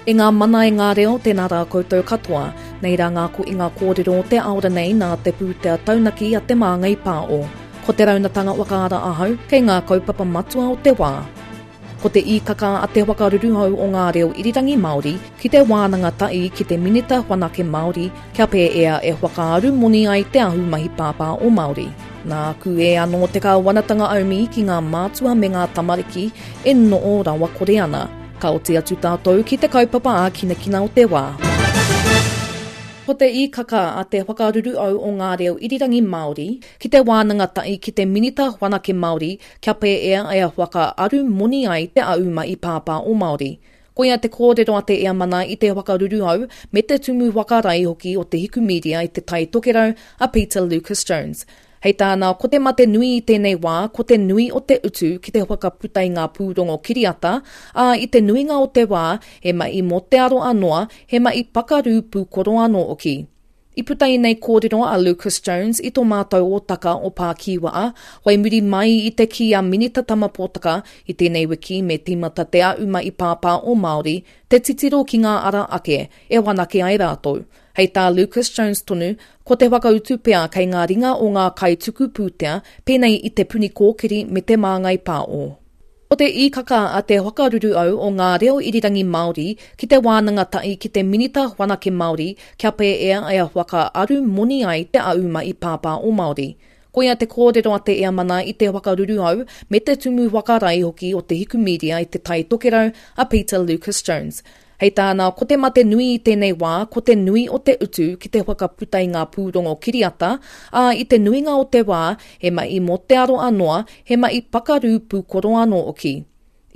E ngā mana e ngā reo, tēnā rā koutou katoa. Nei rā ngā koinga kōrero o te aora nei nā te pūtea taunaki a Te Māngai Pāo. Ko te raunatanga whakaara ahau kei ngā kaupapa matua o te wā. Ko te īkaka a te whakaruruhau o ngā reo irirangi Māori ki te wānanga tahi ki te Minita Whanake Māori kia pēea e whakaaru moni ai te ahumahi pāpā o Māori. Nā kūē anō te kāwanatanga aumi ki ngā mātua me ngā tamariki e noo rawakore ana. Ka oti atu tātou ki te kaupapa ākinakina o te wā. Ko te īkaka a te whakaruruau o ngā reo irirangi Māori ki te wānanga tahi ki te Minita Whanake Māori kia pēea e whaka aru moni ai te auma i pāpā o Māori. Koia te kōrero a te Eamana i te whakaruruau me te tumu whakarae hoki o Te Hiku Media i Te Tai Tokerau a Peter Lucas Jones. Hei tāna, ko te mate nui i tēnei wā ko te nui o te utu ki te whakaputa i ngā pūrongo kiriata, ā, i te nuinga o te wā, he mahi mō te aroa noa, he mahi pakarū pūkoro anō hoki. I puta ēnei kōrero a Lucas Jones i tō mātou ōtaka o Pākīwaa, whai muri mai i te kī a Minita Tama Potaka i tēnei wiki me tīmata te auma i pāpā o Māori te titiro ki ngā ara ake e whanake ai rātou. Hei tā Lucas Jones tonu, ko te whakautu pea kei ngā ringa o ngā kaituku pūtea pēnei i Te Puni Kōkiri me Te Māngai Pāo. Ko te īkaka a te whakaruruau o ngā reo irirangi Māori ki te wānanga tahi ki te Minita Whanake Māori kia pēea e whakaaru moni ai te auma i pāpā o Māori. Koia te kōrero a te Eamana i te whakaruruau me te tumu whakarae hoki o Te Hiku Media i Te Tai Tokerau a Peter Lucas Jones. Hei tāna, ko te mate nui i tēnei wā, ko te nui o te utu ki te whakaputa i ngā pūrongo kiriata, ā, i te nuinga o te wā, he mahi mō te aroa noa, he mahi pakarū pūkoro anō hoki.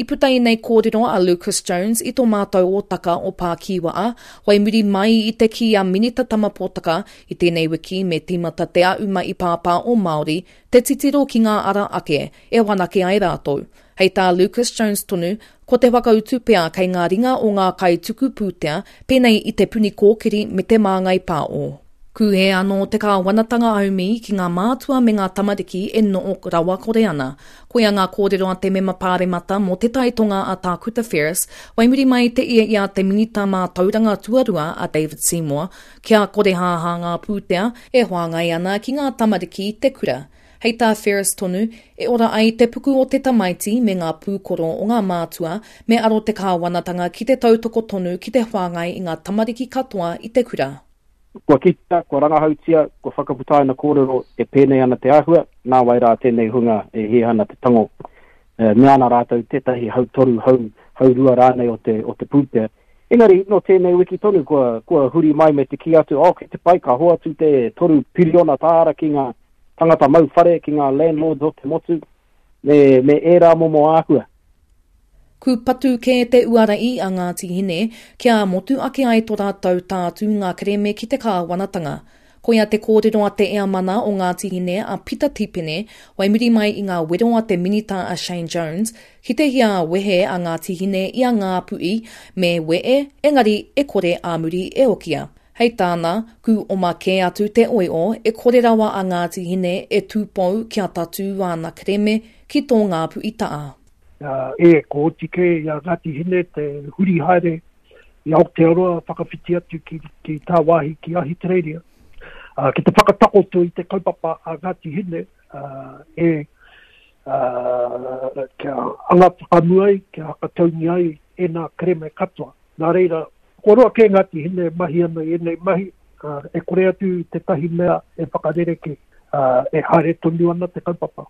I puta ēnei kōrero a Lucas Jones i tō mātou ōtaka o Pākīwaa, whai muri mai i te kī a Minita Tama Potaka i tēnei wiki me tīmata te auma i pāpā o Māori te titiro ki ngā ara ake e whanake ai rātou. Hei tā Lucas Jones tonu, ko te whakautu pea kei ngā ringa o ngā kaituku pūtea, pēnei i Te Puni Kōkiri me Te Māngai Pāo. Kūhē anō te kāwanatanga aumi ki ngā mātua me ngā tamariki e noo rawakore ana. Koia ngā kōrero a te Mema Pāremata mō Te Tai Tonga a Tākuta Ferris, whai muri mai te ia i a te Minita Mātauranga Tuarua a David Seymour, kia korehāhā ngā pūtea e whāngai ana ki ngā tamariki i te kura. Hei tā Ferris tonu, e ora ai te puku o te tamaiti me ngā pūkoro o ngā mātua, me aro te kāwanatanga ki te tautoko tonu ki te whāngai i ngā tamariki katoa i te kura. Kua kitea, kua rangahautia, kua whakaputaina kōrero e pēnei ana te āhua, nāwai rā tēnei hunga e hia ana te tango, e mea ana rātou tētahi hautoru, hau, haurua rānei o te, o te pūtea. Engari, nō tēnei wiki tonu kua, kua huri mai me te kī atu, oh, kei te pai, ka hoatu te $3 piriona ki ngā tangata mau whare, ki ngā landlords o te motu, me, me ērā momo āhua. Kūpatu kē te uara i a Ngāti Hine kia motu ake ai to rātou tātūnga kerēme ki te kāwanatanga. Koia te kōrero a te Eamana o Ngāti Hine a Pita Tipene whai muri mai i ngā wero a te Minita a Shane Jones ki te hia wehe a Ngāti Hine i a Ngāpuhi me wee engari e kore ā muri e okia. Hei tāna, kū oma kē atu te oio e kore rawa a Ngāti Hine e tūpou kia tatū āna kerēme ki tō Ngāpuhi ta'a. E, ko oti kē i a Ngāti Hine te huri haere i Aotearoa whakawhiti atu ki, ki tāwāhi ki Ahitereiria, uh, ki te whakatakoto i te kaupapa a Ngāti Hine uh, e uh, kia anga whakamua ai, kia hakataungi ai ēnā kereme katoa. Nā reira, kua roa kē Ngāti Hine e mahi ana i ēnei mahi, ā, e kore atu tētahi mea e whakarerekē, ā, e haere tonu ana te kaupapa.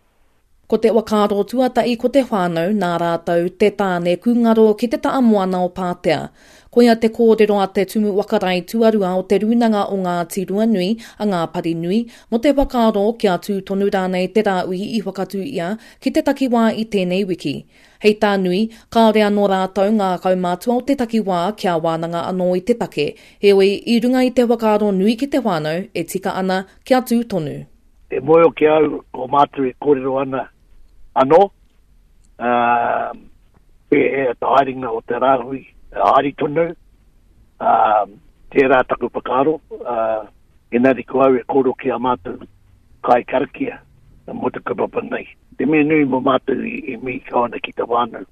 Ko te whakaaro tuatahi ko te whānau nā rātou te tāne kūngaro ki te taha moana o Pātea. Koia te kōrero a te Tumu Whakarae tuarua o Te Rūnanga o Ngāti Ruanui, a Ngāparinui, mō te whakaaro kia tū tonu rānei te rāhui i whakatū ia ki te takiwā i tēnei wiki. Hei tā Nui, kāore anō rātou ngā kaumātua o te takiwā kia wānanga anō i te take, heoi, i runga i te whakaaro nui ki te whānau, e tika ana kia tū tonu. E mōhio ki a au, ko mātou e kōrero ana anō, ā, pēhea te haerenga o te rāhui, haere tonu, ā, tērā taku whakaaro, ā, engari ko au e kōrero ki a mātou kai karakia mō te kaupapa nei. Te mea nui mō mātou i mihi kau ana ki te whānau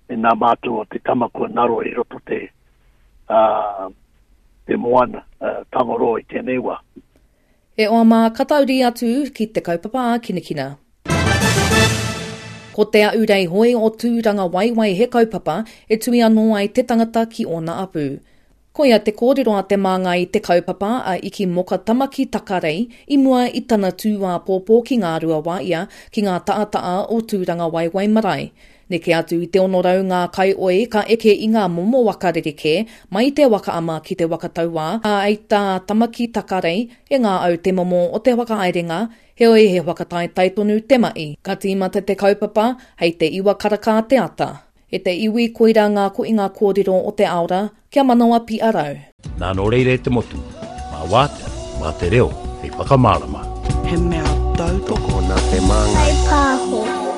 me nā mātou o te tama kua ngaro i roto te. te moana, Tangaroa i tēnei wā. E oa mā, ka tauri atu ki te kaupapa ākinakina. Ko Te Ahurei Hoe o Tūrangawaewae he kaupapa e tui anō ai te tangata ki ōna apu. Koia te kōrero a te māngai i te kaupapa a Iki Moka Tamaki Takarei i mua i tana tū āpōpō ki Ngāruawāia ki ngā taataā o Tūrangawaewae Marae. Neke atu i te 600 ngā kaioi ka eke i ngā momo waka rerekē, mai i te waka ama ki te waka tauā, ā, hei tā Tamaki Takarei, e ngā au te momo o te whakahaerenga, heoi he whakataetae tonu te mahi. Ka tīmata te kaupapa hei te iwa karaka te ata. E te iwi, koirā ngā koinga kōrero o te aora, kia manawa piarau. Nā nō reira e te motu, mā wātea, mā te reo hei whakamārama. He mea tautoko nā te māngai. Pāho.